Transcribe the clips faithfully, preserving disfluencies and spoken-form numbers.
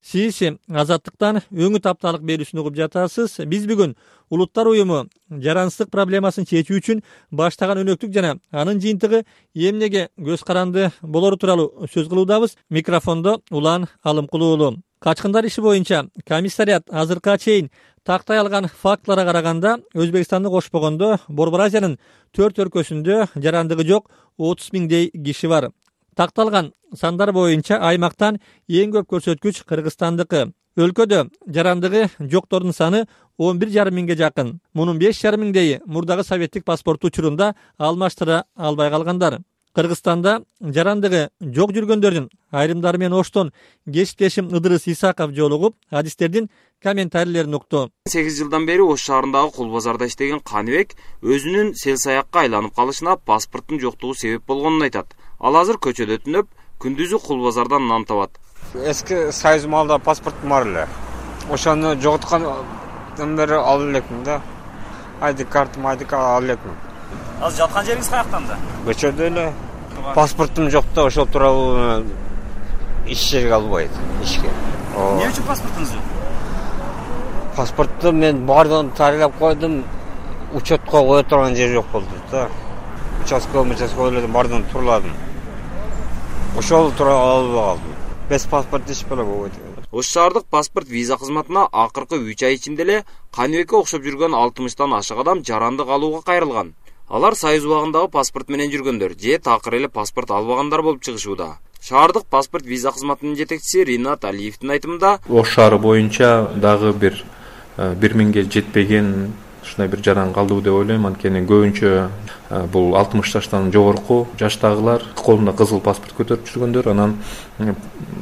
Сиз Азаттыктан өңү тапталык берүүсүн угуп жатасыз. Биз бүгүн Улуттар уюму жарансыздык проблемасын чечүү үчүн баштаган өнөктүк жана анын жыйынтыгы эмнеге көз каранды болору тууралуу сөз кылуудабыз. Микрофондо Улан Алымкулуу. Качкындар иши боюнча комиссарият азыркыга чейин тактай алган фактыларга караганда Өзбекстанды кошпогондо Борбор Азиянын төрт өлкөсүндө жарандыгы жок отуз миңдей киши бар. Такталган сандар боюнча аймактан эң көп көрсөткүч Кыргызстандыкы. Өлкөдө жарандыгы жоктордун саны он бир жарым миңге жакын. Мунун беш жарым миңдеги мурдагы советтик паспортту учурунда алмаштыра албай калгандар. Кыргызстанда жарандыгы жок жүргөндөрдүн айрымдары менен оштон кесиптешим Ыдырыс Исаков жолугуп, адистердин комментарийлерин укту. сегиз жылдан бери Ош шаарындагы Кул базарда иштеген Каныбек өзүнүн сел саякка айланып калышына паспорттун жоктугу себеп болгонун айтат. Ал азыр көчөдө түнөп, күндүзү Кул базардан нан табат. Эски союз маалда паспортум бар эле. Ошону жоготкандан бери алып элекмин да. Айди картам, айди алып элекмин. Азыр жаткан жериңиз каяктанда? Көчөдө эле. Паспортум жок да, ошол тууралуу иш жерге албайт, ишке. Эмне үчүн паспортуңуз жок? Паспортты мен бардыгын тарилеп койдум, учетко кое турган жер жок болду да. Участковый, участковый бардыгын турладым. Ошол тууралуу албай калдым. Без паспорт иш беле болбойт. Ош шаардык паспорт виза кызматына акыркы үч ай ичинде эле Каныбекке окшоп жүргөн алтымыштан ашык адам жарандык алууга кайрылган. Алар союз убагындагы паспорт менен жүргөндөр же такыр эле паспорт албагандар болуп чыгышууда. Шаардык паспорт виза кызматынын жетекчиси Ринат Алиевдин айтымында, Ош шаары боюнча дагы бир бир миңге жетпеген ушундай бир жаран калды деп ойлойм. Анткени көбүнчө бул алтымыш жаштан жогорку жаштагылар, колунда кызыл паспорт көтөрүп жүргөндөр, анан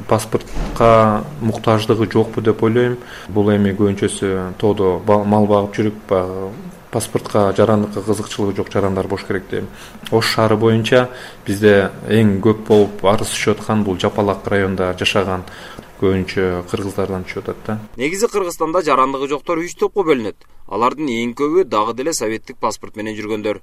паспортко муктаждыгы жокпу деп ойлойм. Бул эми көбүнчөсү тоодо мал багып жүрүп, паспортко жарандыкка кызыкчылыгы жок жарандар болуш керек дейм. Ош шаары боюнча бизде эң көп болуп арыз түшүп аткан бул Жапалак районунда жашаган көбүнчө кыргыздардан түшүп атат да. Негизи Кыргызстанда жарандыгы жоктор үч топко бөлүнөт. Алардын эң көбү дагы деле советтик паспорт менен жүргөндөр,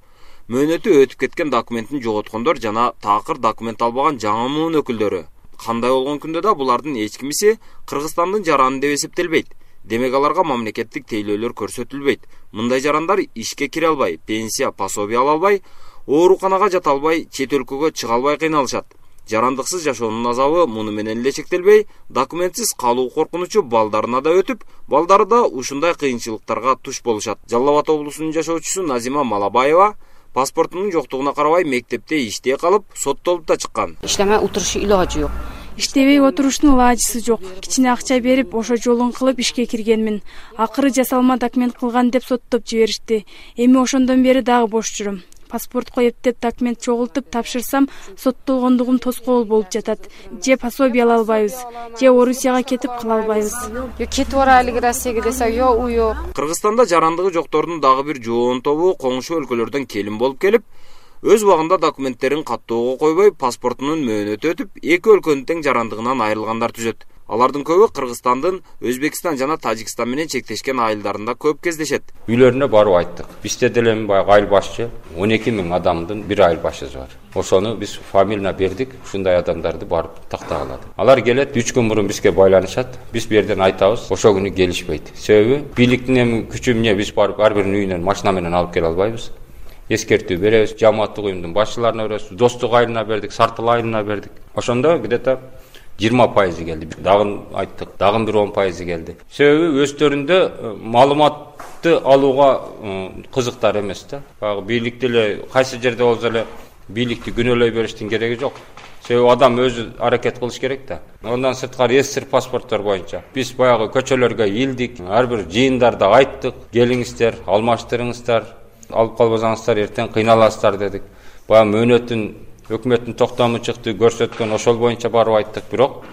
мөөнөтү өтүп кеткен документин жоготкондор жана такыр документ албаган жаңы муун өкүлдөрү. Кандай болгон күндө да булардын эч кимиси Кыргызстандын жараны деп эсептелбейт. Демек аларга мамлекеттик тейлөөлөр көрсөтүлбөйт. Мындай жарандар ишке кире албай, пенсия, пособие ала албай, ооруканага жата албай, чет өлкөгө чыга албай кыйналышат. Жарандыксыз жашоонун азабы муну менен эле чектелбей, документсиз калуу коркунучу балдарына да өтүп, балдары да ушундай кыйынчылыктарга туш болушат. Жалал Абад облусунун жашоочусу Назима Малабаева паспортунун жоктугуна карабай мектепте иштей калып, соттолуп да чыккан. Иштемей отурушу илажы жок. Иштебей отуруштун ылажысы жок. Кичине акча берип, ошо жолун кылып ишке киргенмин. Акыры жасалма документ кылган деп соттоп жиберишти. Эми ошондон бери дагы бош жүрөм. Паспортко эптеп документ чогултуп тапшырсам, соттолгондугум тоскоол болуп жатат. Же пособие ала албайбыз, же Орусияга кетип кала албайбыз. Yo кетип барайлы Россияга десе, yo у жок. Кыргызстанда жарандыгы жоктордун дагы бир жоон тобу коңшу өлкөлөрдөн келин болуп келип, өз убагында документтерин каттоого койбой, паспортунун мөөнөтү өтүп, эки өлкөнүн тең жарандыгынан айрылгандар түзөт. Алардын көбү Кыргызстандын Өзбекстан жана Тажикстан менен чектешкен айылдарында көп кездешет. Үйлөрүнө барып айттык. Бизде деле баягы айыл башчы он эки миң адамдын бир айыл башчысы бар. Ошону биз фамилия бердик, ушундай адамдарды барып тактагалады. Алар келет, үч күн мурун бизге байланышат. Биз бу жерден айтабыз, ошол күнү келишпейт. Себеби бийликтин эми күчү эмне, биз барып ар биринин үйүнөн машина менен алып келе албайбыз. Эскертүү беребиз, жамааттык уюмдун башчыларына беребиз, достук айылына бердик, Сартыл айылына бердик. Ошондо где-то жыйырма пайызы келди. Дагы айттык, дагы бир он пайызы келди. Себеби өздөрүндө маалыматты алууга кызыктар эмес да. Баягы бийликти эле кайсы жерде болсо эле бийликти күнөөлөй бериштин кереги жок. Себеби адам өзү аракет кылыш керек да. Ондан сырткары эсир паспорттор боюнча биз баягы көчөлөргө ийилдик, ар бир жыйындарда айттык, келиңиздер, алмаштырыңыздар, алып калбасаңыздар эртең кыйналасыздар дедик. Баягы мөөнөттүн өкмөттүн токтому чыкты, көрсөткөн ошол боюнча барып айттык, бирок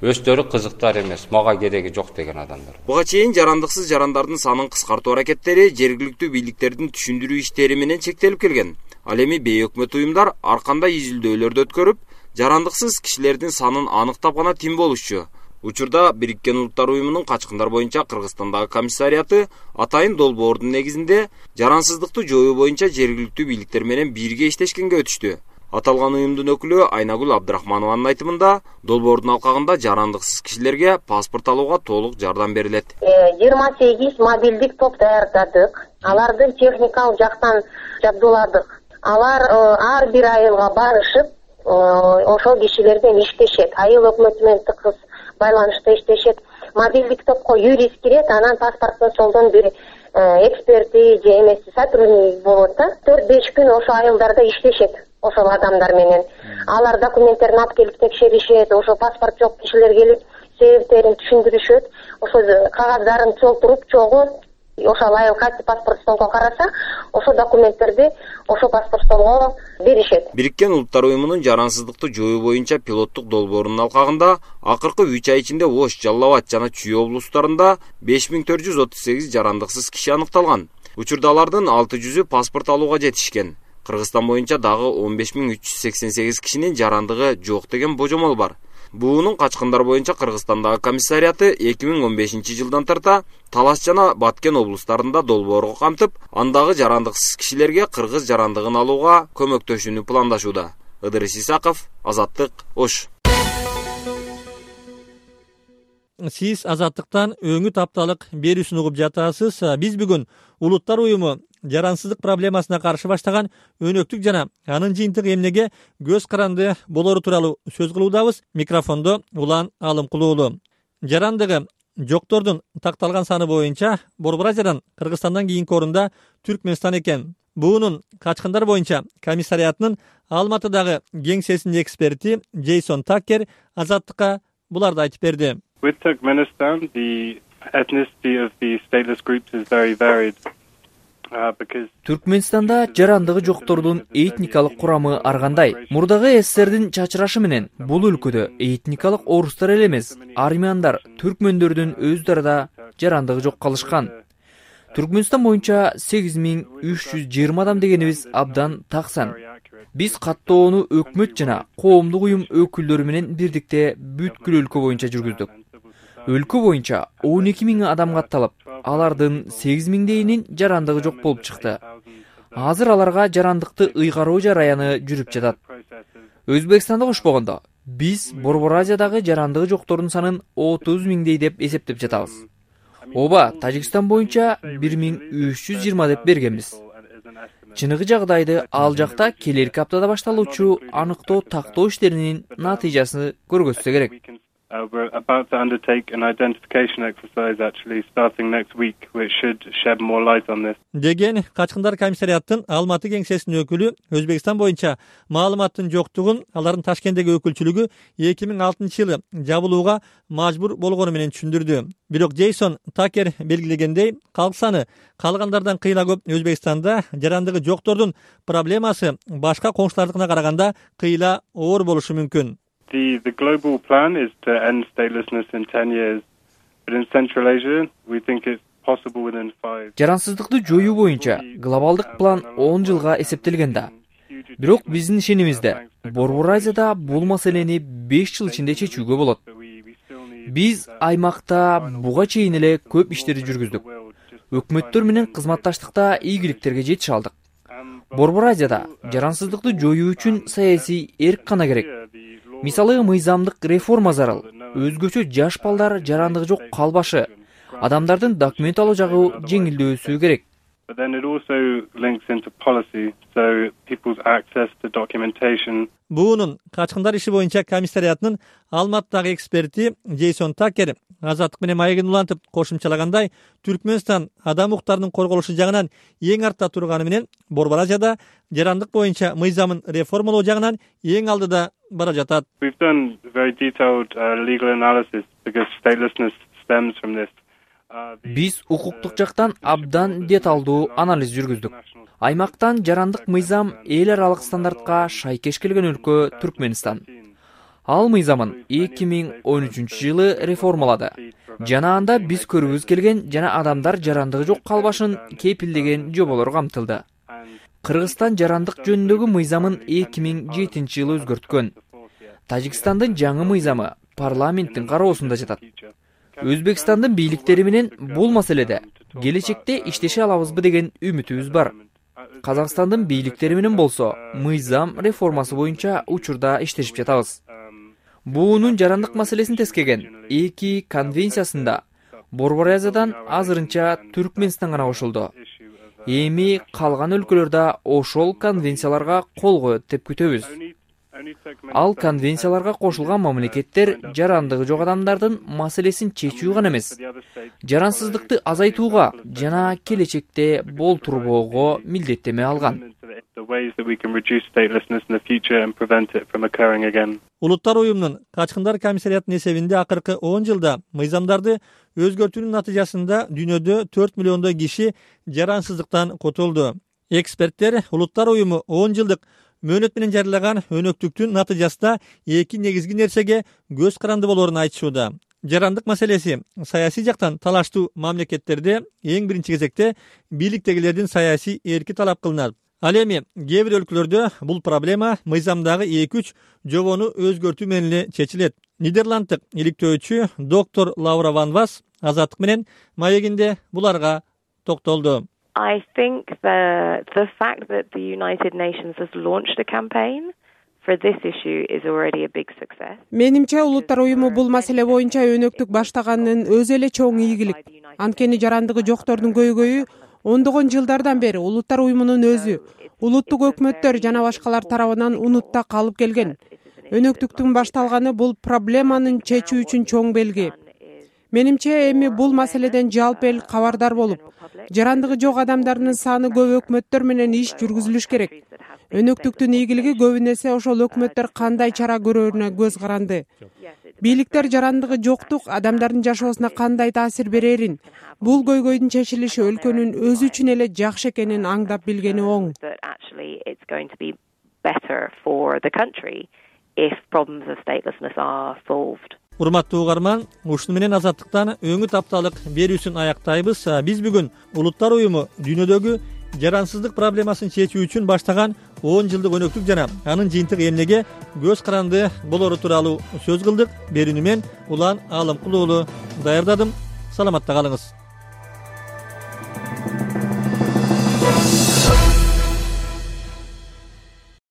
өздөрү кызыктар эмес, мага кереги жок деген адамдар. Буга чейин жарандыксыз жарандардын санын кыскартуу аракеттери жергиликтүү бийликтердин түшүндүрүү иштери менен чектелип келген. Ал эми бейөкмөт уюмдар ар кандай изилдөөлөрдү өткөрүп, жарандыксыз кишилердин санын аныктап гана тим болушчу. Учурда Бириккен Улуттар уюмунун качкындар боюнча Кыргызстандагы комиссариаты атайын долбоордун негизинде жарансыздыкты жоюу боюнча жергиликтүү бийликтер менен бирге иштешкенге өтүштү. Аталган уюмдун өкүлү Айнагүл Абдрахманованын айтымында, долбоордун алкагында жарандыксыз кишилерге паспорт алууга толук жардам берилет. жыйырма сегиз мобилдик топ даярдадык. Аларды техникалык жактан жабдууладык. Алар ар бир айылга барышып, ошол кишилерден иштешет. Айыл өкмөтү менен тыгыз байланышта иштешет. Мобилдик топко юрист кирет, анан паспорттун солдон бир эксперти же эмеси сотрудник болот да. төрт беш күн ошо айылдарда иштешет. Ошол адамдар менен алар документтерин алып келип текшеришет, ошо паспорт жок кишилер келип себептерин түшүндүрүшөт, ошо кагаздарын толтуруп чогуу ошол айыл кайсы паспорт столго караса, ошо документтерди ошо паспорт столго беришет. Бириккен Улуттар уюмунун жарансыздыкты жоюу боюнча пилоттук долбоорунун алкагында акыркы үч ай ичинде Ош, Жалал Абад жана Чүй облустарында беш миң төрт жүз отуз сегиз жарандыксыз киши аныкталган. Учурда алардын алты жүзү паспорт алууга жетишкен. Кыргызстан боюнча дагы он беш миң үч жүз сексен сегиз кишинин жарандыгы жок деген божомол бар. Буунун качкындар боюнча Кыргызстандагы комиссариаты эки миң он бешинчи жылдан тарта Талас жана Баткен облустарында долбоорго камтып, андагы жарандыксыз кишилерге кыргыз жарандыгын алууга көмөктөшүүнү пландашууда. Ыдырыс Исаков, Азаттык, Ош. Сиз Азаттыктан өңү тапталык берүүсүн угуп жатасыз. Биз бүгүн Улуттар уюму жарансыздык проблемасына каршы баштаган өнөктүк жана анын жыйынтыгы эмнеге көз каранды болору тууралуу сөз кылуудабыз. Микрофондо Улан Алымкулуулу. Жарандыгы жоктордун такталган саны боюнча Борбор Азиядан Кыргызстандан кийинки орунда Түркмөнстан экен. Буунун качкындар боюнча комиссариятынын Алматыдагы кеңсесинин эксперти Джейсон Такер Азаттыкка буларды айтып берди. With Turkmenistan, the ethnicity of the stateless groups is very varied. Түркмөнстанда жарандыгы жоктордун этникалык курамы ар кандай. Мурдагы СССРдин чачырашы менен бул өлкөдө этникалык орустар эле эмес, армяндар, түркмөндөрдүн өздарда жарандыгы жок калышкан. Түркмөнстан боюнча сегиз миң үч жүз жыйырма адам дегенибиз абдан таксан. Биз каттоону өкмөт жана коомдук уюм өкүлдөрү менен бирдикте бүткүл өлкө боюнча жүргүздүк. Өлкө боюнча он эки миң адам катталып, алардын сегиз миңдейинин жарандыгы жок болуп чыкты. Азыр аларга жарандыкты ыйгаруу жараяны жүрүп жатат. Өзбекстанда кошпогондо биз Борбор Азиядагы жарандыгы жоктордун санын отуз миңдей деп эсептеп жатабыз. Оба Тажикстан боюнча бир миң үч жүз жыйырма деп бергенбиз. Чыныгы жагдайды ал жакта келерки аптада башталуучу аныктоо тактоо иштеринин натыйжасын көргөзсө керек. Uh, we're about to undertake an identification exercise actually starting next week, which should shed more light on this. Деген качкындар комиссариаттын Алматы кеңсесинин өкүлү Өзбекстан боюнча маалыматтын жоктугун алардын Ташкенттеги өкүлчүлүгү эки миң алтынчы жылы жабылууга мажбур болгону менен түшүндүрдү. Бирок Джейсон Такер белгилегендей, калк саны калгандардан кыйла көп Өзбекстанда жарандыгы жоктордун проблемасы башка коңшулардыкына караганда кыйла оор болушу мүмкүн. The, the global plan is to end statelessness in ten years, but in Central Asia, we think it's possible within five. Жарансыздыкты жоюу боюнча глобалдык план он жылга эсептелген да. Бирок биздин ишенимизде Борбор Азияда бул маселени беш жыл ичинде чечүүгө болот. Биз аймакта буга чейин эле көп иштерди жүргүздүк. Өкмөттөр менен кызматташтыкта ийгиликтерге жетише алдык. Борбор Азияда жарансыздыкты жоюу үчүн саясий эрк гана керек. Мисалы мыйзамдык реформа зарыл. Өзгөчө жаш балдар жарандыгы жок калбашы. Адамдардын документ алуу жагы жеңилдөөсү керек. But then it also links into policy, so people's access to documentation. Буунун качкындар иши боюнча комиссариятынын Алматыдагы эксперти Джейсон Такер Азаттык менен маегин улантып кошумчалагандай, Түркмөнстан адам укуктарынын корголушу жагынан эң артта турганы менен Борбор Азияда жарандык боюнча мыйзамын реформалоо жагынан эң алдыда бара жатат. We've done very detailed uh, legal analysis because statelessness stems from this. Биз укуктук жактан абдан деталдуу анализ жүргүздүк. Аймактан жарандык мыйзам эл аралык стандартка шайкеш келген өлкө Түркмөнстан. Ал мыйзамын эки миң он үчүнчү жылы реформалады. Жана анда биз көрүүбүз келген жана адамдар жарандыгы жок калбашын кепилдеген жоболор камтылды. Кыргызстан жарандык жөнүндөгү мыйзамын эки миң жетинчи жылы өзгөрткөн. Тажикстандын жаңы мыйзамы парламенттин кароосунда жатат. Өзбекстандын бийликтери менен бул маселеде келечекте иштеше алабызбы деген үмүтүбүз бар. Казакстандын бийликтери менен болсо мыйзам реформасы боюнча учурда иштешип жатабыз. Буунун жарандык маселесин тескеген эки конвенциясында Борбор Азиядан азырынча Түркмөнстан гана кошулду. Эми калган өлкөлөр да ошол конвенцияларга кол коет деп күтөбүз. Ал конвенцияларга кошулган мамлекеттер жарандыгы жок адамдардын маселесин чечүү гана эмес, жарансыздыкты азайтууга жана келечекте болтурбоого милдеттеме алган. Улуттар уюмунун Качкындар комиссариятынын эсебинде акыркы он жылда мыйзамдарды өзгөртүүнүн натыйжасында дүйнөдө төрт миллиондой киши жарансыздыктан котулду. Эксперттер Улуттар уюму он жылдык мөөнөт менен жарыяган өнөктүктүн натыйжасында эки негизги нерсеге көз каранды болоорун айтышууда. Жарандык маселеси саясий жактан талаштуу мамлекеттерде эң биринчи кезекте бийликтегилердин саясий эрки талап кылынат. Ал эми кээ бир өлкөлөрдө бул проблема мыйзамдагы эки үч жобону өзгөртүү менен эле чечилет. Нидерланддык иликтөөчү доктор Лаура Ван Вас Азаттык менен маегинде буларга токтолду. I think the the fact that the United Nations has launched a campaign for this issue is already a big success. Менимче Улуттар уюму бул маселе боюнча өнөктүк баштаганын өзү эле чоң ийгилик. Анткени жарандыгы жоктордун көйгөйү ондогон жылдардан бери Улуттар уюмунун өзү, улуттук өкмөттөр жана башкалар тарабынан унутта калып келген. Өнөктүктүн башталганы бул проблеманын чечүү үчүн чоң белги. Менимче эми бул маселеден жалпы эл кабардар болуп, жарандыгы жок адамдардын саны көп өкмөттөр менен иш жүргүзүлүш керек. Өнөктүктүн ийгилиги көбүн эсе ошол өкмөттөр кандай чара көрөрүнө көз каранды. Бийликтер жарандыгы жоктук адамдардын жашоосуна кандай таасир берерин, бул көйгөйдүн чечилиши өлкөнүн өзү үчүн эле жакшы экенин аңдап билгени оң. Урматтуу угарман, ушуну менен Азаттыктан өңү тапталык берүүсүн аяктайбыз. Биз бүгүн Улуттар уюму дүйнөдөгү жарансыздык проблемасын чечүү үчүн баштаган он жылдык өнөктүк жана анын жыйынтык эмнеге көз каранды болору тууралуу сөз кылдык. Берүүнү мен Улан Алымкулуулу даярдадым. Саламатта калыңыз.